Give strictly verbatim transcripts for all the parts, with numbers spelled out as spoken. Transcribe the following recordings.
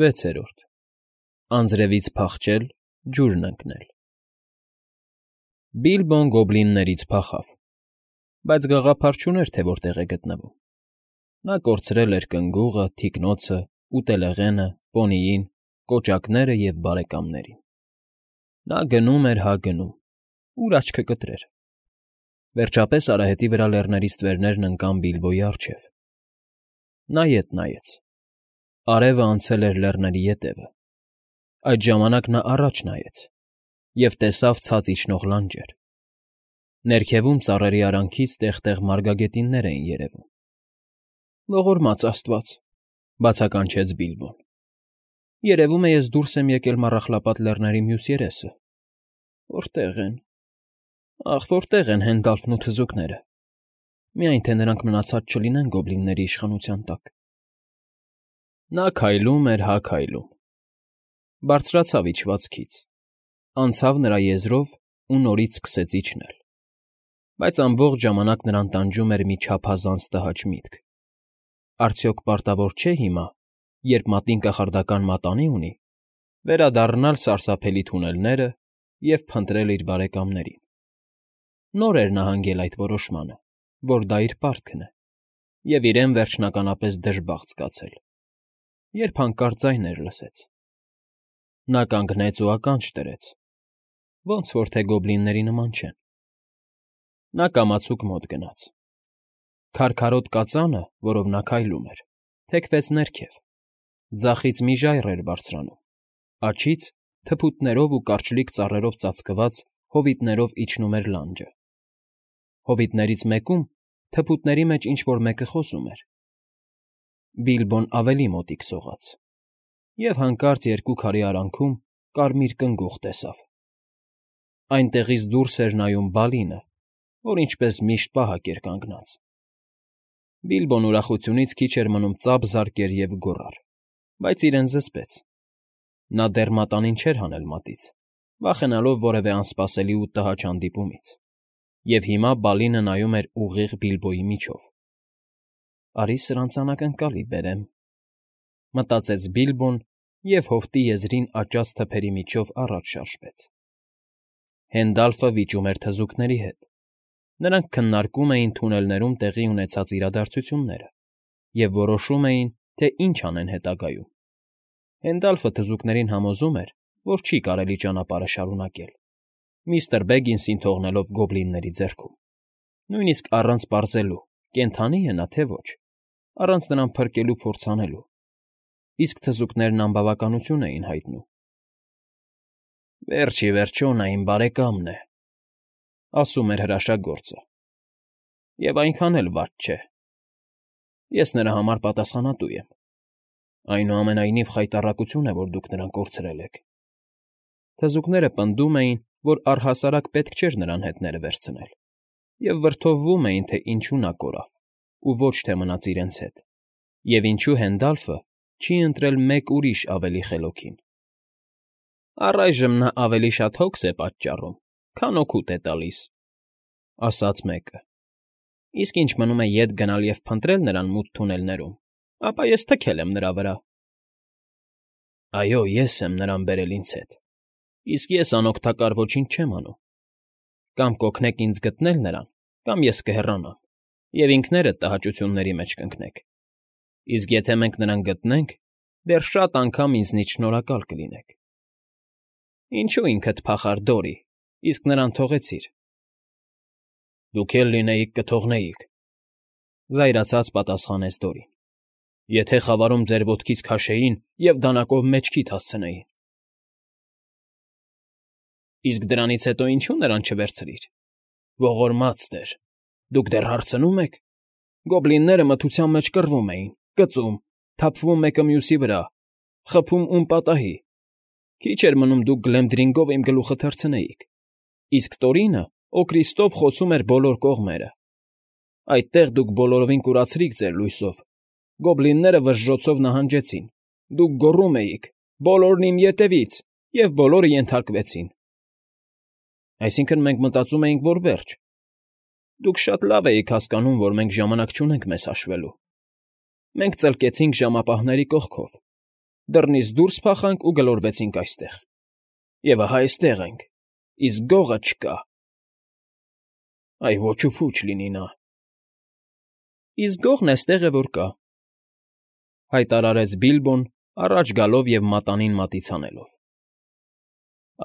Վեցերորդ Անձրևից փախչել, ջուրն ընկնել։ Բիլբոն գոբլիններից փախավ, բայց գաղափար չուներ, թե որտեղ է գտնվում։ Նա կորցրել էր կնգուղը, թիկնոցը, ուտելեղենը, պոնիին, կոճակները և բարեկամներին։ Նա գնում էր հա գնում, ուր աչքը կտրեր։ Վերջապես արահետի վրա լեռների ստվերներն ընկան Բիլբոյի առջև։ Նա ետ նայեց. արևը անցել էր լեռների ետևը։ Այդ ժամանակ նա առաջ նայեց և տեսավ ցած իջնող լանջեր։ Ներքևում ծառերի արանքից տեղ֊տեղ մարգագետիններ էին երևում։ «Ողորմած աստված», բացականչեց Բիլբոն։ «Երևում է, ես դուրս եմ եկել Մառախլապատ Լեռների մյուս երեսը։ Որտե՞ղ են, ախ, որտե՞ղ են Հենդալֆն ու թզուկները, միայն թե նրանք մնացած չլինեն գոբլինների իշխանության տակ»։ Նա քայլում էր հա քայլում։ Բարձրացավ իջվածքից, անցավ նրա եզրով ու նորից սկսեց իջնել։ Բայց ամբողջ ժամանակ նրան տանջում էր մի չափազանց տհաճ միտք. արդյոք պարտավոր չէ հիմա, երբ մատին կախարդական մատանի ունի, վերադառնալ սարսափելի թունելները և փնտրել իր բարեկամներին։ Նոր էր նա հանգել այդ որոշմանը, որ դա իր պարտքն է, և իրեն վերջնականապես դժբախտ զգացել, երբ հանկարծ ձայներ լսեց։ Նա կանգնեց ու ականջ դրեց, ոնց որ թե գոբլինների նման չեն։ Նա կամացուկ մոտ գնաց։ Քարքարոտ կածանը, որով նա քայլում էր, թեքվեց ներքև, ձախից մի ժայռ էր բարձրանում, աջից թփուտներով ու կարճլիկ ծառերով ծածկված հովիտներով իջնում էր լանջը։ Հովիտներից մեկում թփուտների մեջ ինչ֊որ մեկը խոսում էր։ Բիլբոն ավելի մոտիկ սողաց և հանկարծ երկու քարի արանքում կարմիր կնգուղ տեսավ։ Այնտեղից դուրս էր նայում Բալինը, որ ինչպես միշտ պահակ էր կանգնած։ Բիլբոն ուրախությունից քիչ էր մնում ծափ զարկեր և գոռար, բայց իրեն զսպեց։ Նա դեռ մատանին չէր հանել մատից, վախենալով որևէ անսպասելի ու տհաճ հանդիպումից, և հիմա Բալինը նայում էր ուղիղ Բիլբոյի միջով։ «Արի սրանց անակնկալի բերեմ», մտածեց Բիլբոն և հովտի եզրին աճած թփերի միջով առաջ շարժվեց։ Հենդալֆը վիճում էր թզուկների հետ։ Նրանք քննարկում էին թունելներում տեղի ունեցած իրադարձությունները և որոշում էին, թե ինչ անեն հետագայում։ Հենդալֆը թզուկներին համոզում էր, որ չի կարելի ճանապարհը շարունակել, միստր Բեգինսին թողնելով գոբլինների ձեռքում, նույնիսկ առանց պարզելու՝ կենդանի է նա, թե ոչ, առանց նրան փրկելու փորձ անելու, իսկ թզուկներն անբավականություն էին հայտնում։ «Վերջ ի վերջո նա իմ բարեկամն է», ասում էր հրաշագործը, «և այնքան էլ վատ չէ։ Ես նրա համար պատասխանատու եմ։ Այնուամենայնիվ խայտառակություն է, որ դուք նրան կորցրել եք»։ Թզուկները պնդում էին, որ առհասարակ պետք չէր նրան հետները վերցնել, և վրդովվում էին, թե ինչու նա կորավ ու ոչ թե մնաց իրենց հետ, և ինչու Հենդալֆը չի ընտրել մեկ ուրիշ ավելի խելոքի։ «Առայժմ նա ավելի շատ հոգս է պատճառում, քան օգուտ է տալիս», ասաց մեկը։ «Իսկ ինչ մնում է ետ գնալ և փնտրել նրան մութ թունելներում, ապա ես թքել եմ նրա վրա»։ «Այո, ես եմ նրան բերել ինձ հետ, իսկ ես անօգտակար ոչինչ չեմ անում։ Կամ կօգնեք ինձ գտնել նրան, կամ ես կհեռանամ, և ինքներդ տհաճությունների մեջ կընկնեք։ Իսկ եթե մենք նրան գտնենք, դեռ շատ անգամ ինձնից շնորհակալ կլինեք»։ «Ինչո՞ւ ինքդ փախար, Դորի, իսկ նրան թողեցիր»։ «Դուք էլ լինեիք, կթողնեիք», զայրացած պատասխանեց Դորին, «եթե խավարում ձեր ոտքից քաշեին և դանակով մեջքիդ հասցնեին»։ «Իսկ դրանից հետո ինչո՞ւ նրան չվերցրիր։ Ողորմած տեր, դուք դեռ հարցնո՞ւմ եք։ Գոբլինները մթության մեջ կռվում էին, կծում, թափվում մեկը մյուսի վրա, խփում ում պատահի։ Քիչ էր մնում դուք Գլեմդրինգով իմ գլուխը թռցնեիք, իսկ Տորինը Օրկրիստով խոցում էր բոլոր կողմերը։ Այդտեղ դուք բոլորովին կուրացրիք ձեր լույսով, գոբլինները վժժոցով նահանջեցին, դուք գոռում էիք. «Բոլորն իմ ետևից», և բոլորը ենթարկվեցին։ Այսինքն՝ մենք մտածում էինք, որ վերջ։ Դուք շատ լավ էիք հասկանում, որ մենք ժամանակ չունենք մեզ հաշվելու։ Մենք ծլկեցինք ժամապահների կողքով, դռնից դուրս փախանք ու գլորվեցինք այստեղ։ Եվ ահա այստեղ ենք, իսկ գողը չկա։ Այ ոչ ու փուչ լինի նա։ Իսկ գողն էստեղ է որ կա, հայտարարեց Բիլբոն, առաջ գալով և մատանին մատից հանելով։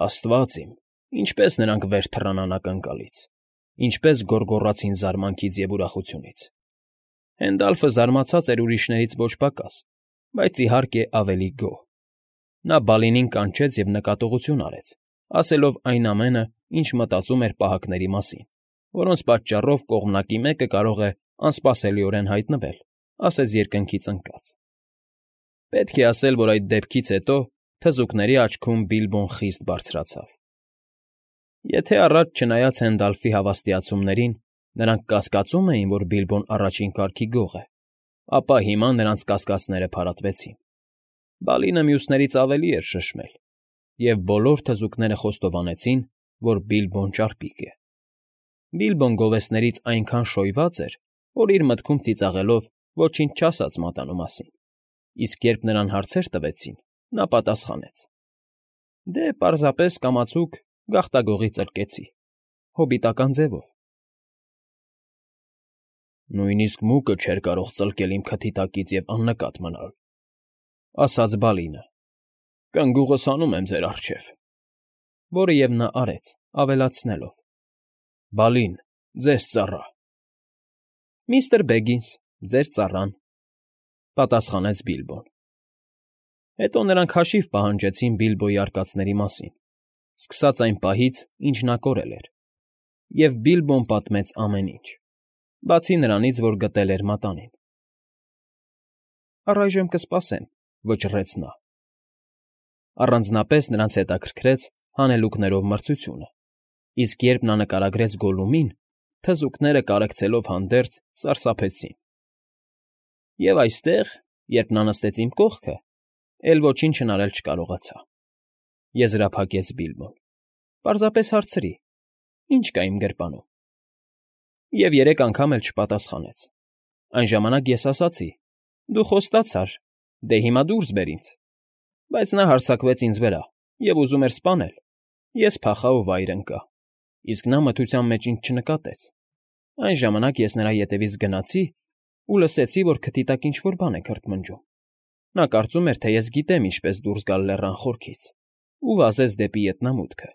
Աստված իմ, ինչպես նրանք վեր թռան անակնկալից, ինչպես գոռգոռացին զարմանքից և ուրախությունից։ Հենդալֆը զարմացած էր ուրիշներից ոչ պակաս, բայց, իհարկե, ավելի գոհ։ Նա Բալինին կանչեց և նկատողություն արեց, ասելով այն ամենը, ինչ մտածում էր պահակների մասին, որոնց պատճառով կողմանկի մեկը կարող է անսպասելիորեն հայտնվել, ասես երկնքից ընկած։ Պետք է ասել, որ այդ դեպքից հետո թզուկների աչքում Բիլբոն խիստ բարձրացավ։ Եթե առաջ, չնայած Հենդալֆի հավաստիացումներին, նրանք կասկածում էին, որ Բիլբոն առաջին կարգի գող է, ապա հիմա նրանց կասկածները փարատվեցին։ Բալինը մյուսներից ավելի էր շշմել, և բոլոր թզուկները խոստովանեցին, որ Բիլբոն ճարպիկ է։ Բիլբոն գովեստներից այնքան շոյված էր, որ իր մտքում ծիծաղելով ոչինչ չասաց մատանու մասին, իսկ երբ նրան հարցեր տվեցին, նա պատասխանեց. Դե, պարզապես կամացուկ գաղտագողի ծլկեցի, հոբիտական ձևով։ Նույնիսկ մուկը չէր կարող ծլկել իմ քթի տակից և աննկատ մնալ, ասաց Բալինը։ Կնգուղս հանում եմ ձեր առջև, որը և նա արեց, ավելացնելով. Բալին, ձեզ ծառա։ Միստր Բեգինս, ձեր ծառան, պատասխանեց Բիլբոն։ Հետո նրանք հաշիվ պահանջեցին Բիլբոյի արկածների մասին, սկսած այն պահից, ինչ նա կորել էր, և Բիլբոն պատմեց ամեն ինչ, բացի նրանից, որ գտել էր մատանին։ Առայժմ կսպասեմ, վճռեց նա։ Առանձնապես նրանց հետաքրքրեց հանելուկներով մրցությունը, իսկ երբ նա նկարագրեց Գոլլումին, թզուկները, կարեկցելով հանդերձ, սարսափեցին։ Եվ այստեղ, երբ նա նստեց իմ կողքը, էլ ոչինչ հնարել չկարողացա, եզրափակեց Բիլբոն, պարզապես հարցրի. ինչ կա իմ գրպանում։ Եվ երեք անգամ էլ չպատասխանեց։ Այն ժամանակ ես ասացի. դու խոստացար, դե հիմա դուրս բեր ինձ։ Բայց նա հարձակվեց ինձ վրա և ուզում էր սպանել։ Ես փախա ու վայր ընկա, իսկ նա մթության մեջ ինձ չնկատեց։ Այն ժամանակ ես նրա ետևից գնացի ու լսեցի, որ քթի տակ ինչ֊որ բան է քրթմնջում։ Նա կարծում էր, թե ես գիտեմ ինչպես դուրս գալ լեռան խորքից, ու վազեց դեպի ետնամուտքը,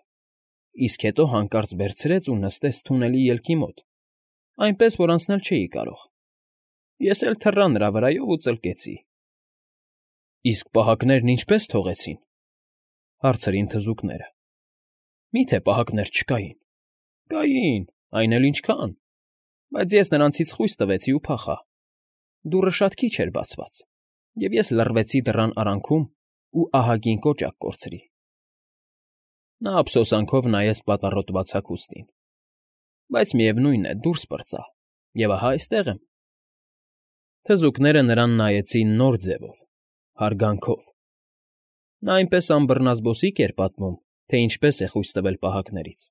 իսկ հետո հանկարծ վերցրեց ու նստեց թունելի ելքի մոտ, այնպես, որ անցնել չէի կարող։ Ես էլ թռա նրա վրայով ու ծլկեցի։ Իսկ պահակներն ինչպե՞ս թողեցին, հարցրին թզուկները։ Մի՞թե պահակներ չկային։ Կային, այն էլ ինչքան, բայց ես նրանցից խույս տվեցի ու փախա։ Դուռը շատ քիչ էր բացված, և ես լռվեցի դռան արանքում ու ահագին կոճակ կորցրի։ Նա ափսոսանքով նայեց պատառոտված հագուստին։ Բայց միևնույն է, դուրս պրծա, և ահա այստեղ եմ։ Թզուկները նրան նայեցին նոր ձևով, հարգանքով։ Նա այնպես անբռնազբոսիկ էր պատմում, թե ինչպես է խույս տվել պահակներից,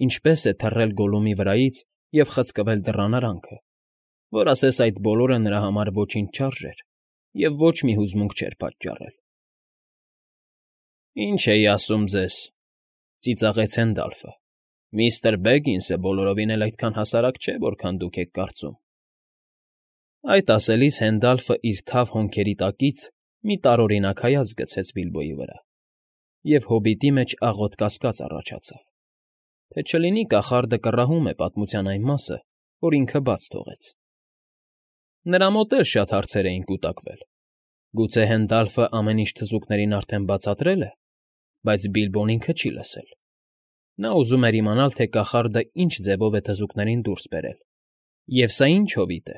ինչպես է թռել Գոլլումի վրայից և խցկվել դռան արանքը, որ ասես այդ բոլորը նրա համար ոչինչ չարժեր և ոչ մի հուզմունք չէր պատճառել։ Ինչ էի ասում ձեզ, ծիծաղեց Հենդալֆը, միստր Բեգինսը բոլորովին էլ այդքան հասարակ չէ, որքան դուք եք կարծում։ Այդ ասելիս Հենդալֆը իր թավ հոնքերի տակից մի տարօրինակ հայացք գցեց Բիլբոյի վրա, և հոբիտի մեջ աղոտ կասկած առաջացավ, թե չլինի կախարդը կռահում է պատմության այն մասը, որ ինքը բաց թողեց։ Նրա մոտ էլ շատ հարցեր էին կուտակվել։ Գուցե Հենդալֆը ամեն ինչ թզուկներին արդեն բացատրել է, բայց Բիլբոն ինքը չի լսել։ Նա ուզում էր իմանալ, թե կախարդը ինչ ձևով է թզուկներին դուրս բերել, և սա ինչ հովիտ է։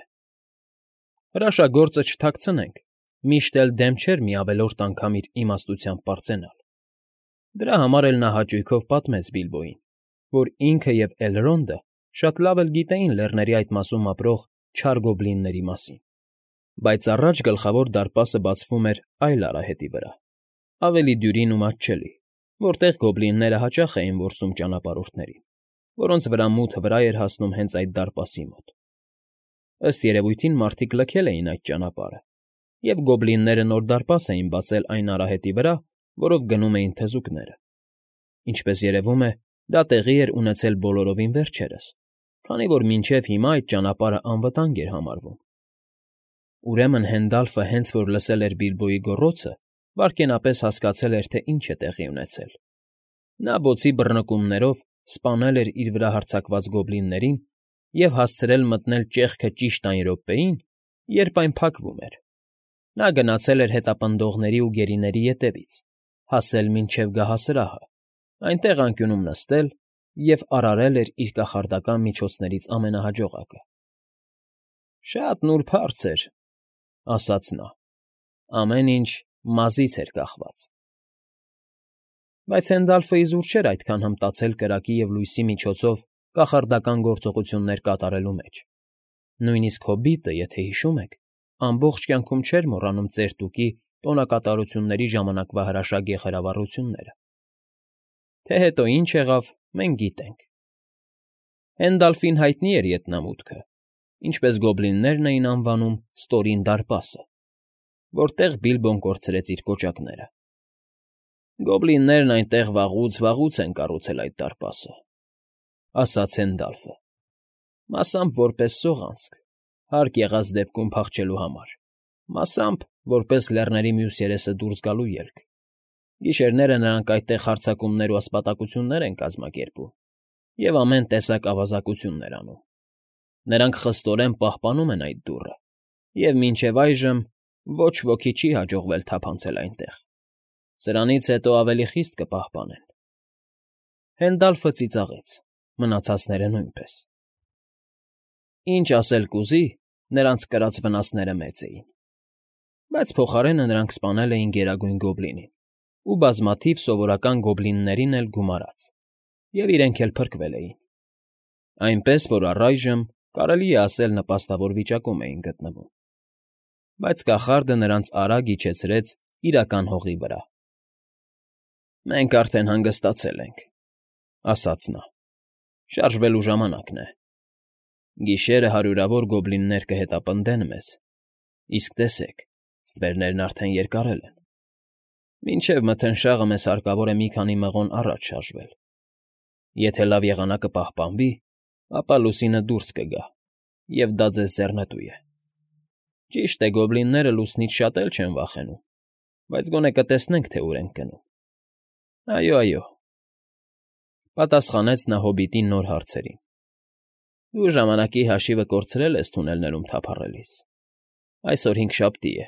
Հրաշագործը չթաքցնենք, միշտ էլ դեմ չէր մի ավելորդ անգամ իր իմաստությամբ պարծենալ։ Դրա համար էլ նա հաճույքով պատմեց Բիլբոյին, որ ինքը և Էլրոնդը շատ լավ էլ գիտեին լեռների այդ մասում ապրող չար գոբլինների մասին։ Բայց առաջ Գլխավոր դարպասը բացվում էր այլ արահետի վրա, ավելի դյուրին ու մատչելի, որտեղ գոբլինները հաճախ էին որսում ճանապարհորդներին, որոնց վրա մութը վրա էր հասնում հենց այդ դարպասի մոտ։ Ըստ երևույթին մարդիկ լքել էին այդ ճանապարհը, և գոբլինները նոր դարպաս էին բացել այն արահետի վրա, որով գնում էին թզուկները. ինչպես երևում է, դա տեղի էր ունեցել բոլորովին վերջերս, քանի որ մինչև հիմա այդ ճանապարհն անվտանգ էր համարվում։ Ուրեմն Հենդալֆը հենց որ լսել էր Բիլբոյի գոռոցը, վայրկենապես հասկացել էր, թե ինչ է տեղի ունեցել. նա բոցի բռնկումներով սպանել էր իր վրա հարձակված գոբլիններին և հասցրել մտնել ճեղքը ճիշտ այն րոպեին, երբ այն փակվում էր։ Նա գնացել էր հետապնդողների ու գերիների ետևից, հասել մինչև գահասրահը, այնտեղ անկյունում նստել և արարել էր իր կախարդական միջոցներից ամենահաջողակը։ «Շատ նուրբ հարց էր,֊ ասաց նա,֊ ամեն ինչ մազից էր կախված»։ Բայց Հենդալֆը իզուր չէր այդքան հմտացել կրակի և լույսի միջոցով կախարդական գործողություններ կատարելու մեջ. նույնիսկ հոբիտը, եթե հիշում եք, ամբողջ կյանքում չէր մոռանում ծեր Տուկի տոնակատարությունների ժամանակվա հրաշագ եղերավառությունները։ Թե հետո ինչ եղավ, մենք գիտենք։ Հենդալֆին հայտնի էր ետնամուտքը, ինչպես գոբլիններն էին անվանում Ստորին դարպասը, որտեղ Բիլբոն կորցրեց իր կոճակները։ «Գոբլիններն այնտեղ վաղուց֊վաղուց են կառուցել այդ դարպասը,֊ ասաց Հենդալֆը,֊ մասամբ որպես սողանցք, հարկ եղած դեպքում փախչելու համար, մասամբ որպես լեռների մյուս երեսը դուրս գալու ելք։ Գիշերները նրանք այդտեղ հարձակումներ ու ասպատակություններ են կազմակերպում և ամեն տեսակ ավազակություններ անում։ Նրանք խստորեն պահպանում են այդ դուռը, և մինչև այժմ ոչ ոքի չի հաջողվել թափանցել այնտեղ։ Սրանից հետո ավելի խիստ կպահպանեն»։ Հենդալֆը ծիծաղեց, մնացածները՝ նույնպես։ Ինչ ասել կուզի, նրանց կրած վնասները մեծ էին։ Բայց փոխարենը նրանք սպանել էին Գերագույն Գոբլինին ու բազմաթիվ սովորական գոբլիններին էլ գումարած, և իրենք էլ փրկվել էին։ Այնպես որ առայժմ, կարելի է ասել, նպաստավոր վիճակում էին գտնվում։ Բայց կախարդը նրանց արագ իջեցրեց իրական հողի վրա։ «Մենք արդեն հանգստացել ենք,֊ ասաց նա,֊ շարժվելու ժամանակն է։ Գիշերը հարյուրավոր գոբլիններ կհետապնդեն մեզ, իսկ տեսեք, ստվերներն արդեն երկարել են։ Մինչև մթնշաղը մեզ հարկավոր է մի քանի մղոն առաջ շարժվել։ Եթե լավ եղանակը պահպանվի, ապա լուսինը դուրս կգա, և դա ձեզ ձեռնտու է։ Ճիշտ է, գոբլինները լուսնից շատ էլ չեն վախենում, բայց գոնե կտեսնենք, թե ուր ենք գնում»։ «Այո, այո,֊ պատասխանեց նա հոբիտի նոր հարցերին,֊ դու ժամանակի հաշիվը կորցրել ես թունելներում թափառելիս։ Այսօր հինգշաբթի է,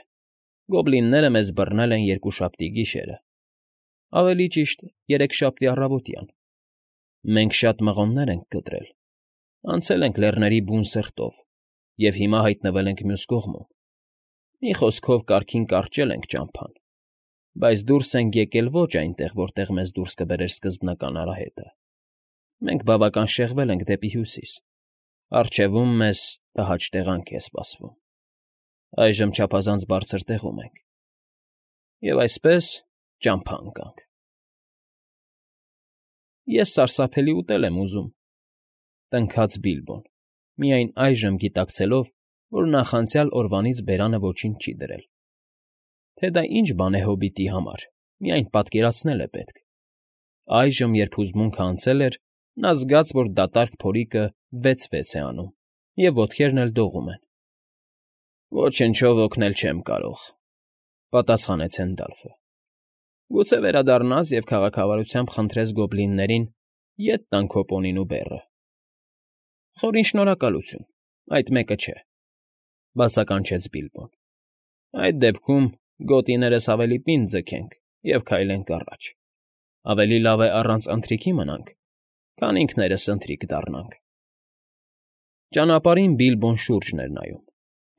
գոբլինները մեզ բռնել են երկուշաբթի գիշերը, ավելի ճիշտ, երեքշաբթի առավոտյան։ Մենք շատ մղոններ ենք կտրել, անցել ենք լեռների բուն սրտով և հիմա հայտնվել ենք մյուս կողմում։ Մի խոսքով, կարգին կարճել ենք ճամփան, բայց դուրս ենք եկել ոչ այնտեղ, որտեղ մեզ դուրս կբերեր սկզբնական արահետը։ Մենք բավական շեղվել ենք դեպի հյուսիս, առջևում մեզ տհաճ տեղանք է սպասվում։ Այժմ չափազանց բարձր տեղում ենք, և այսպես ճամփա ընկանք»։ «Ես սարսափելի ուտել եմ ուզում,֊ տնքաց Բիլբոն, միայն այժմ գիտակցելով, որ նախանցյալ օրվանից բերանը ոչինչ չի դրել։ Թե դա ինչ բան է հոբիտի համար, միայն պատկերացնել է պետք։ Այժմ, երբ հուզմունքը անցել էր, նա զգաց, որ դատարկ փորիկը վեց֊վեց է անում, և ոտքերն էլ դողում են։ «Ոչնչով օգնել չեմ կարող,֊ պատասխանեց Հենդալֆը։ Գուցե վերադառնաս և քաղաքավարությամբ խնդրես գոբլիններին ետ տան քո պոնին ու բեռը։ Խորին շնորհակալություն, այդ մեկը չէ,֊ բացականչեց Բիլբոն։ Այդ դեպքում գոտիներս ավելի պինդ ձգենք և քայլենք առաջ։ Ավելի լավ է առանց ընթրիքի մնանք, քան ինքներս ընթրիք դառնանք։ Ճանապարհին Բիլբոն շուրջն էր նայում,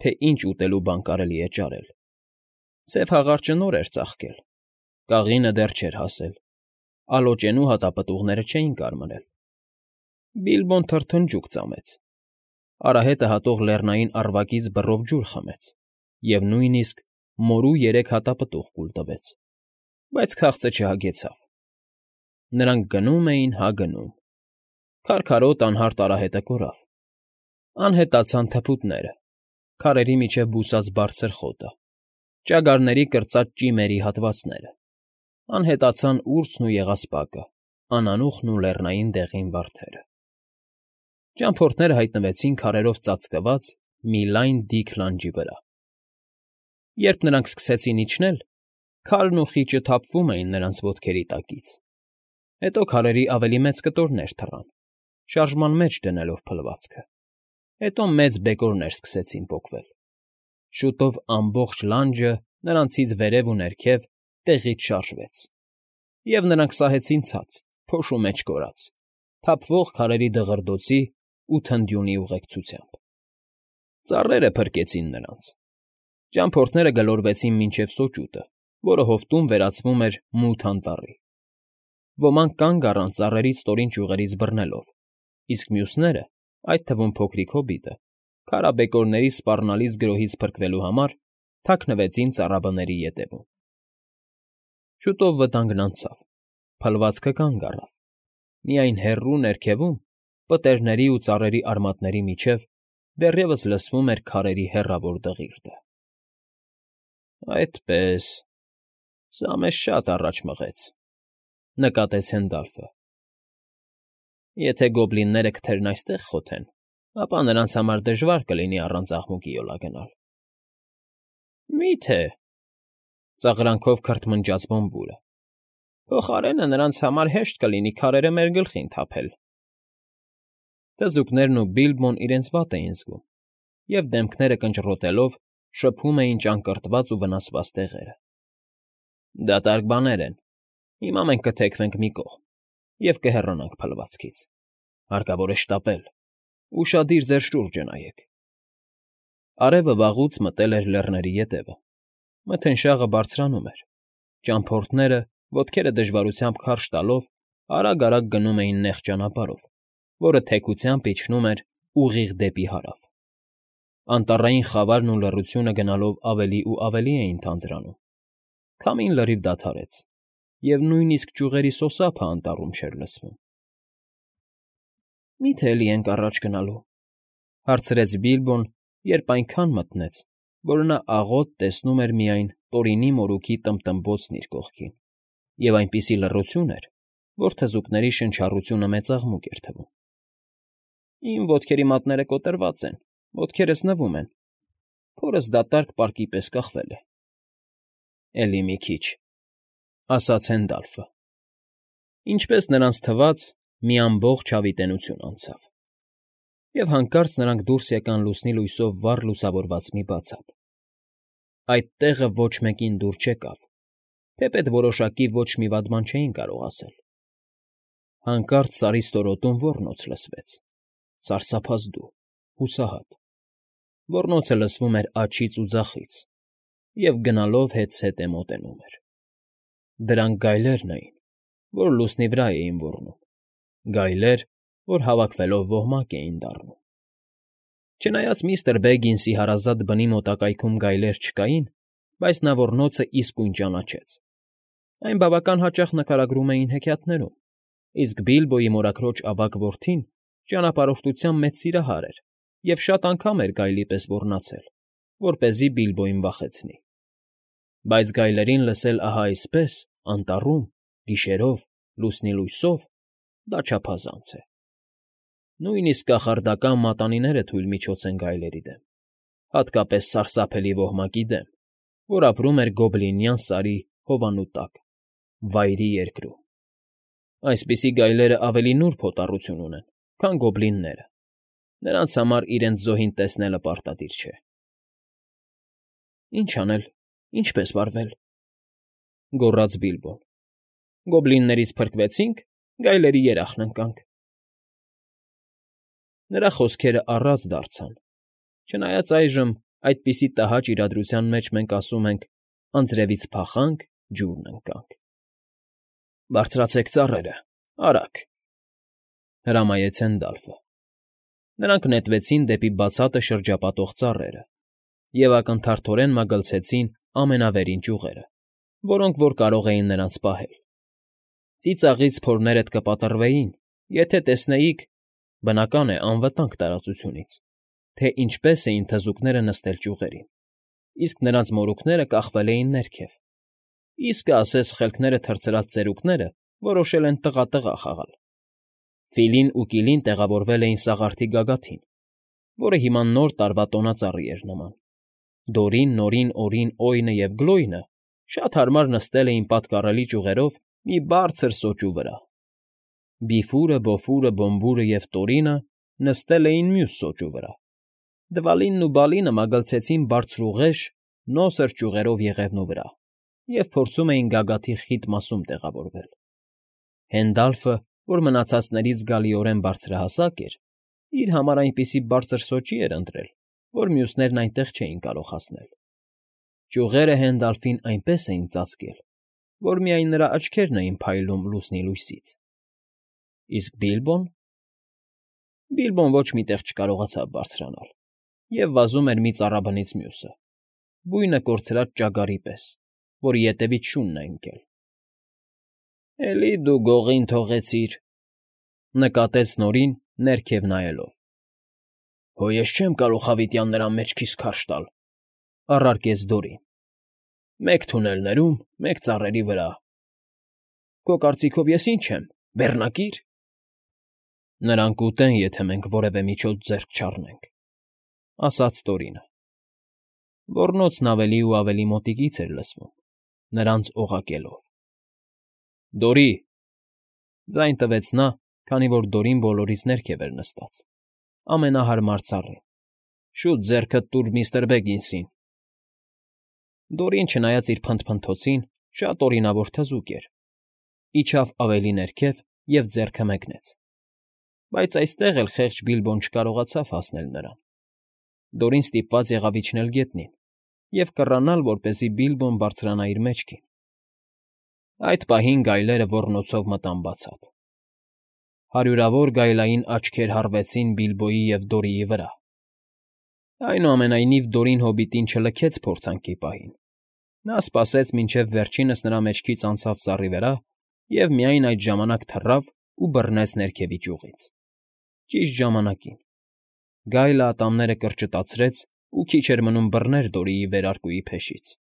թե ինչ ուտելու բան կարելի է ճարել։ Սև հաղարջը նոր էր ծաղկել, կաղինը դեռ չէր հասել, ալոճենու հատապտուղները չէին կարմրել։ Բիլբոն թրթնջուկ ծամեց, արահետը հատող լեռնային առվակից բռով ջուր խմեց և նույնիսկ մորու երեք հատապտուղ կուլ տվեց, բայց քաղցը չհագեցավ։ Նրանք գնում էին հա գնում։ Քարքարոտ անհարթ արահետը կորավ։ Անհետացան թփուտները, քարերի միջև բուսած բարձր խոտը, ճագարների կրծած ճիմերի հատվածները, անհետացան ուրցն ու եղեսպակը, անանուխն ու լեռնային դեղին վարդերը։ Ճամփորդները հայտնվեցին քարերով ծածկված մի լայն դիք լանջի վրա։ Երբ նրանք սկսեցին իջնել, քարն ու խիճը թափվում էին նրանց ոտքերի տակից, հետո քարերի ավելի մեծ կտորներ թռան, շարժման մեջ դնելով փլվածքը, հետո մեծ բեկորներ սկսեցին պոկվել։ Շուտով ամբողջ լանջը նրանցից վերև ու ներքև տեղից շարժվեց, և նրանք սահեցին ցած, փոշու մեջ կորած, թափվող քարերի դղրդոցի ու թնդյունի ուղեկցությամբ։ Ծառերը փրկեցին նրանց։ Ճամփորդները գլորվեցին մինչև սոճուտը, որը հովտում վերածվում էր մութ անտառի։ Ոմանք կանգ առան ծառերի ստորին ճյուղերից բռնելով, իսկ մյուսները, այդ թվում փոքրիկ հոբիտը, քարաբեկորների սպառնալից գրոհից փրկվելու համար թաքնվեցին ծառաբների ետևում։ Շուտով վտանգն անցավ, փլվածքը կանգ առավ, միայն հեռու ներքևում, պտերիների ու ծառերի արմատների միջև դեռևս լսվում էր քարերի հեռավոր դղիրդը։ Այդպե՜ս, սա մեզ շատ առաջ մղեց,֊ նկատեց Հենդալֆը։ Եթե գոբլինները քթերն այստեղ խոթեն, ապա նրանց համար դժվար կլինի առանց աղմուկի յոլա գնալ։ Մի՞թե,֊ ծաղրանքով քրթմնջաց Բոմբուրը,֊ փոխարենը նրանց համար հեշտ կլինի քարերը մեր գլխին թափել։ Թզուկներն ու Բիլբոն իրենց վատ էին զգում և, դեմքները կնճռոտելով, շփում էին ճակռտված ու վնասված տեղերը։ Դատարկ բաներ են, հիմա մենք կթեքվենք մի կողմ և կհեռանանք փլվածքից, հարկավոր է շտապել, ուշադիր ձեր շուրջը նայեք։ Արևը վաղուց մտել էր լեռների ետևը, մթնշաղը բարձրանում էր, ճամփորդները, ոտքերը դժվարությամբ քարշ տալով, արագ֊արագ գնում էին նեղ ճանապարհով, որը թեքությամբ իջնում էր ուղիղ դեպի հարավ։ Անտառային խավարն ու լռությունը գնալով ավելի ու ավելի էին թանձրանում, քամին լրիվ դադարեց, և նույնիսկ ճյուղերի սոսափն անտառում չէր լսվում։ Մի՞թե էլի ենք առաջ գնալու,֊ հարցրեց Բիլբոն, երբ այնքան մթնեց, որ նա աղոտ տեսնում էր միայն Տորինի մորուքի տմբտմբոցն իր կողքին, և այնպիսի լռություն էր, որ թզուկների շնչառությունը մեծաղմուկ էր թվում։ Իմ ոտքերի մատները կոտրված են, ոտքերս նվում են, փորս դատարկ պարկի պես կախվել է։ Էլի մի քիչ,֊ ասաց Հենդալֆը։ Ինչպես նրանց թվաց, մի ամբողջ հավիտենություն անցավ, և հանկարծ նրանք դուրս եկան լուսնի լույսով վառ լուսավորված մի բացատ։ Այդ տեղը ոչ մեկին դուր չեկավ, թեպետ որոշակի ոչ մի վատ բան չէին կարող ասել։ Հանկարծ Սարի ստորոտում ոռնոց լսվեց, սարսափազդու, հուսահատ։ Ոռնոցը լսվում էր աջից ու ձախից և գնալով հետզհետե մոտենում էր։ Դրանք գայլերն էին, որ լուսնի վրա էին ոռնում, գայլեր, որ հավաքվելով ոհմակ էին դառնում։ Չնայած միստր Բեգինսի հարազատ բնի մոտակայքում գայլեր չկային, բայց նա ոռնոցը իսկույն ճանաչեց։ Այն բավական հաճախ նկարագրում էին հեքիաթներում, իսկ Բիլբոյի մորաքրոջ ավագ որդին ճանապարհորդության մեծ սիրահար էր և շատ անգամ էր գայլի պես ոռնացել, որպեսզի Բիլբոյին վախեցնի։ Բայց գայլերին լսել ահա այսպես, անտառում, գիշերով, լուսնի լույսով, դա չափազանց է։ Նույնիսկ կախարդական մատանիները թույլ միջոց են գայլերի դեմ, հատկապես սարսափելի ոհմակի դեմ, որ ապրում էր Գոբլինյան Սարի հովանու տակ, Վայրի Երկրում։ Այսպիսի գայլերն ավելի նուրբ հոտառություն ունեն, քան գոբլինները, նրանց համար իրենց զոհին տեսնելը պարտադիր չէ։ Ի՞նչ անել, ինչպե՞ս վարվել,֊ գոռաց Բիլբոն։ Գոբլիններից փրկվեցինք, գայլերի երախն ընկանք։ Նրա խոսքերը առած դարձան, չնայած այժմ այդպիսի տհաճ իրադրության մեջ մենք ասում ենք «անձրևից փախանք, ջուրն ընկանք»։ Բարձրացեք ծառերը, արագ,֊ հրամայեց Հենդալֆը։ Նրանք նետվեցին դեպի բացատը շրջապատող ծառերը և ակնթարթորեն մագլցեցին ամենավերին ճյուղերը, որոնք որ կարող էին նրանց պահել։ Ծիծաղից փորներդ կպատռվեին, եթե տեսնեիք, բնական է, անվտանգ տարածությունից, թե ինչպես էին թզուկները նստել ճյուղերին։ իսկ նրանց մորուքները կախվել էին ներքև։ Իսկը ասես խելքները թռցրած ծերուկները որոշել են տղա֊տղա խաղալ։ Ֆիլին ու Կիլին տեղավորվել էին սաղարթի գագաթին, որը հիմա Նոր տարվա տոնածառի էր նման։ Դորին, Նորին, Օրին, Օյնը և Գլոյնը շատ հարմար նստել էին պատկառելի ճյուղերով մի բարձր սոճու վրա։ Բիֆուրը, Բոֆուրը, Բոմբուրը և Տորինը նստել էին մյուս սոճու վրա։ Դվալինն ու Բալինը մագլցեցին բարձրուղեշ, նոսր ճյուղերով եղևնու վրա և փորձում էին գագաթի խիտ մասում տեղավորվել։ Հենդալֆը, որ մնացածներից զգալիորեն բարձրահասակ էր, իր համար այնպիսի բարձր սոճի էր ընտրել, որ մյուսներն այնտեղ չէին կարող հասնել։ Ճյուղերը Հենդալֆին այնպես էին ծածկել, որ միայն նրա աչքերն էին փայլում լուսնի լույսից։ Իսկ Բիլբո՞ն։ Բիլբոն ոչ մի տեղ չկարողացավ բարձրանալ և վազում էր մի ծառաբնից մյուսը, բույնը կորցրած ճագարի պես, որի ետևից շունն է ընկել։ ֊ Էլի դու գողին թողեցիր,֊ նկատեց Նորին, ներքև նայելով։ ֊ Հո ես չեմ կարող հավիտյան նրա մեջքիս քարշ տալ,֊ առարկեց Դորին,֊ մեկ թունելներում, մեկ ծառերի վրա։ ֊ Քո կարծիքով ես ի՞նչ եմ, բեռնակի՞ր։ ֊ Նրան կուտեն, եթե մենք որևէ միջոց ձեռք չառնենք,֊ ասաց Տորինը։ Ոռնոցն ավելի ու ավելի մոտիկից էր լսվում, նրանց օղակելով։ ֊ Դորի,֊ ձայն տվեց նա, քանի որ Դորին բոլորից ներքև էր նստած, ամենահարմար ծառին,֊ շուտ ձեռքդ տուր միստր Բեգինսին։ Դորին, չնայած իր փնթփնթոցին, շատ օրինավոր թզուկ էր, իջավ ավելի ներքև և ձեռքը մեկնեց։ Բայց այստեղ էլ խեղճ Բիլբոն չկարողացավ հասնել նրան։ Դորին ստիպված եղավ իջնել գետնին և կռանալ, որպեսզի Բիլբոն բարձրանա իր մեջքին։ Այդ պահին գայլերը ոռնոցով մտան բացատ։ Հարյուրավոր գայլային աչքեր հառվեցին Բիլբոյի և Դորիի վրա։ Այնուամենայնիվ Դորին հոբիտին չլքեց փորձանքի պահին։ Նա սպասեց, մինչև վերջինս նրա մեջքից անցավ ծառի վրա և միայն այդ ժամանակ թռավ ու բռնեց ներքևի ճյուղից։ Ճիշտ ժամանակին։ Գայլը ատամները կրճտացրեց ու քիչ էր մնում բռներ Դորիի վերարկուի փեշից։